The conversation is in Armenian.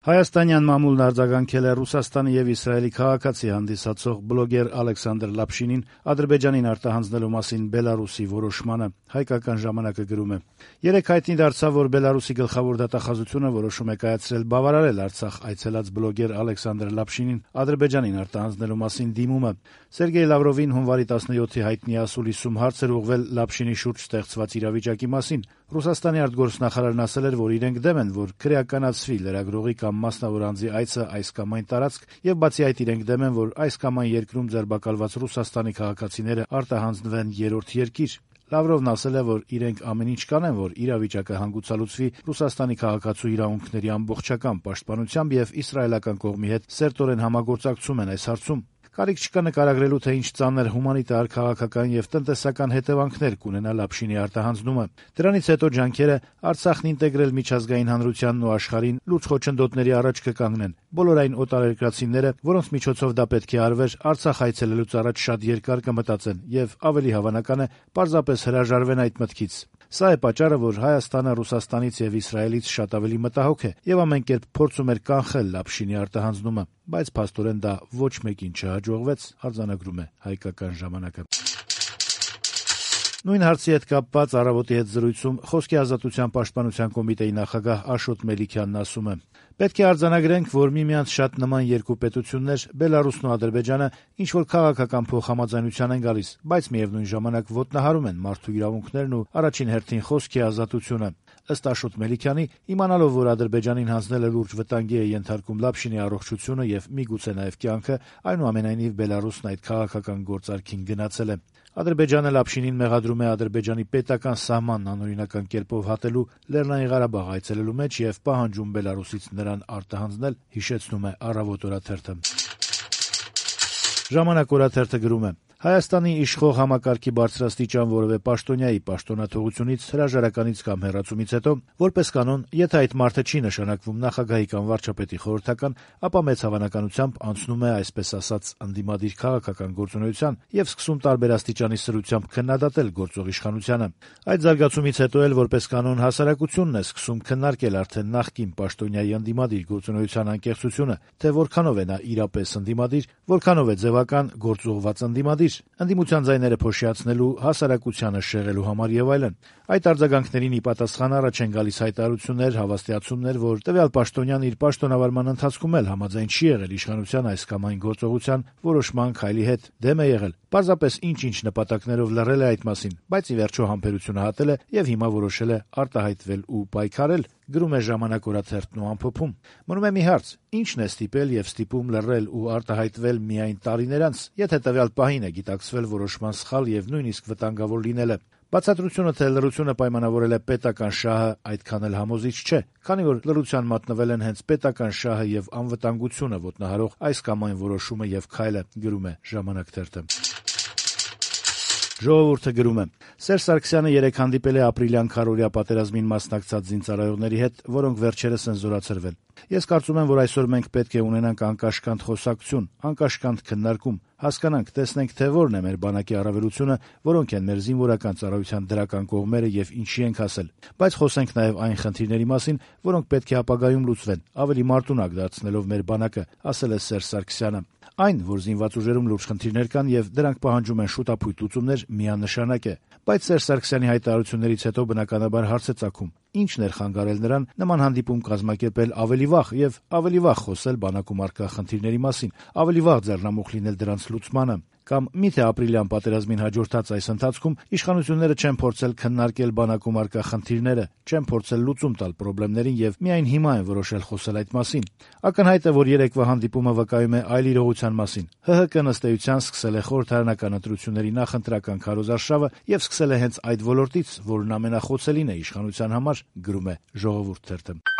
Հայաստանյան մամուլն արձագանքել է Ռուսաստանի եւ Իսրայելի քաղաքացի հանդիսացող բլոգեր Ալեքսանդր Լապշինին Ադրբեջանին արտահանձնելու մասին Բելարուսի որոշմանը։ Հայկական ժամանակը գրում է. «Երեկ հայտնի դարձավ, որ Բելարուսի գլխավոր դատախազությունը որոշում է կայացրել բավարարել Արցախ այցելած բլոգեր Ալեքսանդր Լապշինին Ադրբեջանին արտահանձնելու մասին դիմումը։ Սերգեյ Լավրովին հունվարի 17-ի հայտնի ասուլիսում հարց էր ուղղվել Լապշինի շուրջ ստեղծված իրավիճակի մասին։ Ռուսաստանի արտգործնախարարն ասել էր, որ իրենք դեմ են, որ քրեականացվի լրագրողի կամ մասնավոր անձի այցը այս կամ այն տարածք, եւ բացի այդ իրենք դեմ են, որ այս կամ այն երկրում ձերբակալված Ռուսաստանի քաղաքացիները արտահանձնվեն երրորդ երկիր։ Լավրովն ասել է, որ իրենք ամեն ինչ կանեն, որ իրավիճակը հանգուցալուծվի Ռուսաստանի քաղաքացու իրավունքների ամբողջական պաշտպանությամբ եւ իսրայելական կողմի հետ սերտորեն համագործակցում են այս հարցում։ Կարիք չկա նկարագրելու, թե ինչ ծանր հումանիտար, քաղաքական եւ տնտեսական հետևանքներ կունենա Լապշինի արտահանձնումը։ Դրանից հետո ջանքերը Արցախն ինտեգրել միջազգային հանրությանն ու աշխարհին լուրջ խոչընդոտների առաջ կկանգնեն։ Բոլոր այն օտարերկրացիները, որոնց միջոցով դա պետք է արվեր, Արցախ այցելելուց առաջ շատ երկար կմտածեն եւ ավելի հավանական է պարզապես հրաժարվեն այդ մտքից։ Սա է պատճառը, որ Հայաստանը Ռուսաստանից եւ Իսրայելից շատ ավելի մտահոգ է եւ ամեն կերպ փորձում էր կանխել Լապշինի արտահանձնումը, բայց փաստորեն դա ոչ մեկին չհաջողվեց, արձանագրում է Հայկական ժամանակը։ Նույն հարցի հետ կապված «Առավոտ»-ի հետ զրույցում Խոսքի ազատության պաշտպանության կոմիտեի նախագահ Աշոտ Մելիքյանն ասում է. «Պետք է արձանագրենք, որ միմյանց շատ նման երկու պետություններ, Բելարուսն ու Ադրբեջանը, ինչ-որ քաղաքական փոխհամաձայնության են գալիս, բայց միևնույն ժամանակ ոտնահարում են մարդու իրավունքներն ու առաջին հերթին խոսքի ազատությունը։ Ըստ Աշոտ Մելիքյանի, իմանալով, որ Ադրբեջանին հանձնելը լուրջ վտանգի է ենթարկում Լապշինի առողջությունը եւ միգուցե նաեւ կյանքը, այնուամենայնիվ Բելարուսն այդ քաղաքական գործարքին գնացել է։ Ադրբեջանը Լապշինին մեղադրում է Ադրբեջանի պետական սահմանն անօրինական կերպով հատելու, Լեռնային Ղարաբաղ այցելելու մեջ եւ պահանջում Բելարուսից նրան արտահանձնել», հիշեցնում է «Առավոտ» օրաթերթը։ «Ժամանակ» օրաթերթը գրում է. «Հայաստանի իշխող համակարգի բարձրաստիճան որևէ պաշտոնյայի պաշտոնաթողությունից, հրաժարականից կամ հեռացումից հետո, որպես կանոն, եթե այդ մարդը չի նշանակվում նախագահի կամ վարչապետի խորհրդական, ապա մեծ հավանականությամբ անցնում է, այսպես ասած, ընդդիմադիր քաղաքական գործունեության եւ սկսում տարբեր աստիճանի սրությամբ քննադատել գործող իշխանությանը։ Այդ զարգացումից հետո էլ, որպես կանոն, հասարակությունն է սկսում քննարկել արդեն նախկին պաշտոնյայի ընդդիմադիր գործունեության անկեղծությունը, թե որքանով է նա իրապես ընդդիմադիր, որքանով է ձևական գործուղված ընդդիմադիր, ընդդիմության ձայները փոշիացնելու, հասարակությանը շեղելու համար եւ այլն։ Այդ արձագանքներին ի պատասխան առաջ են գալիս հայտարարություններ, հավաստիացումներ, որ տվյալ պաշտոնյան իր պաշտոնավարման ընթացքում էլ համաձայն չի եղել իշխանության այս կամ այն գործողության որոշման քայլի հետ, դեմ է եղել, պարզապես ինչ-ինչ նպատակներով լռել է այդ մասին, բայց ի վերջո համբերությունը հատել է եւ հիմա որոշել է արտահայտվել ու պայքարել», գրում է «Ժամանակ» օրաթերթն ու ամփոփում. «Մնում է մի հարց. ի՞նչն է ստիպել եւ ստիպում լռել ու արտահայտվել միայն տարիներ անց, եթե տվյալ պահին է գիտակցվել որոշման սխալ եւ նույնիսկ վտանգավոր լինելը։ Բացատրությունը, թե լռությունը պայմանավորել է պետական շահը, այդքան էլ համոզիչ չէ, քանի որ լռության մատնվել են հենց պետական շահը եւ անվտանգությունը ոտնահարող այս կամ այն որոշումը եւ քայլը», գրում է «Ժամանակ» թերթը։ «Ժողովուրդ»-ը գրում է. «Սերժ Սարգսյանը երեկ հանդիպել է ապրիլյան քարոզիա պատերազմին մասնակցած զինծառայողների հետ, որոնք վերջերս են զորացրվել։ Ես կարծում եմ, որ այսօր մենք պետք է ունենանք անկաշկանդ խոսակցություն, անկաշկանդ քննարկում, հասկանանք, տեսնենք, թե որն է մեր բանակի առավելությունը, որոնք են մեր զինվորական ծառայության դրական կողմերը եւ ինչի ենք հասել։ Բայց խոսենք նաեւ այն խնդիրների մասին, որոնք պետք է ապագայում լուծվեն, ավելի մարտունակ դարձնելով մեր բանակը», ասել է Սերժ Սարգսյանը։ Այն, որ զինված ուժերում լուրջ խնդիրներ կան եւ դրանք պահանջում են շուտապույտ լուծումներ, միանշանակ է։ Բայց Սերժ Սարգսյանի հայտարարություններից հետո բնականաբար հարց է ծագում. ինչն էր խանգարել նրան նման հանդիպում կազմակերպել ավելի վաղ եւ ավելի վաղ խոսել բանակում առկա խնդիրների մասին, ավելի վաղ ձեռնամուխ լինել դրանց լուծմանը։ Կամ միթե ապրիլյան պատերազմին հաջորդած այս ընթացքում իշխանությունները չեն փորձել քննարկել բանակում առկա խնդիրները, չեն փորձել լուծում տալ խնդիրներին եւ միայն հիմա են որոշել խոսել այդ մասին։ Ակնհայտ է, որ երեկվա հանդիպումը վկայում է այլ իրողության մասին։ ՀՀԿ-ն ըստ էության սկսել է խորհրդարանական ընտրությունների նախընտրական քարոզարշավը եւ սկսել է հենց այդ ոլորտից, որն ամենախոցելին է իշխանության համար, գրում է «Ժողովուրդ» թերթը։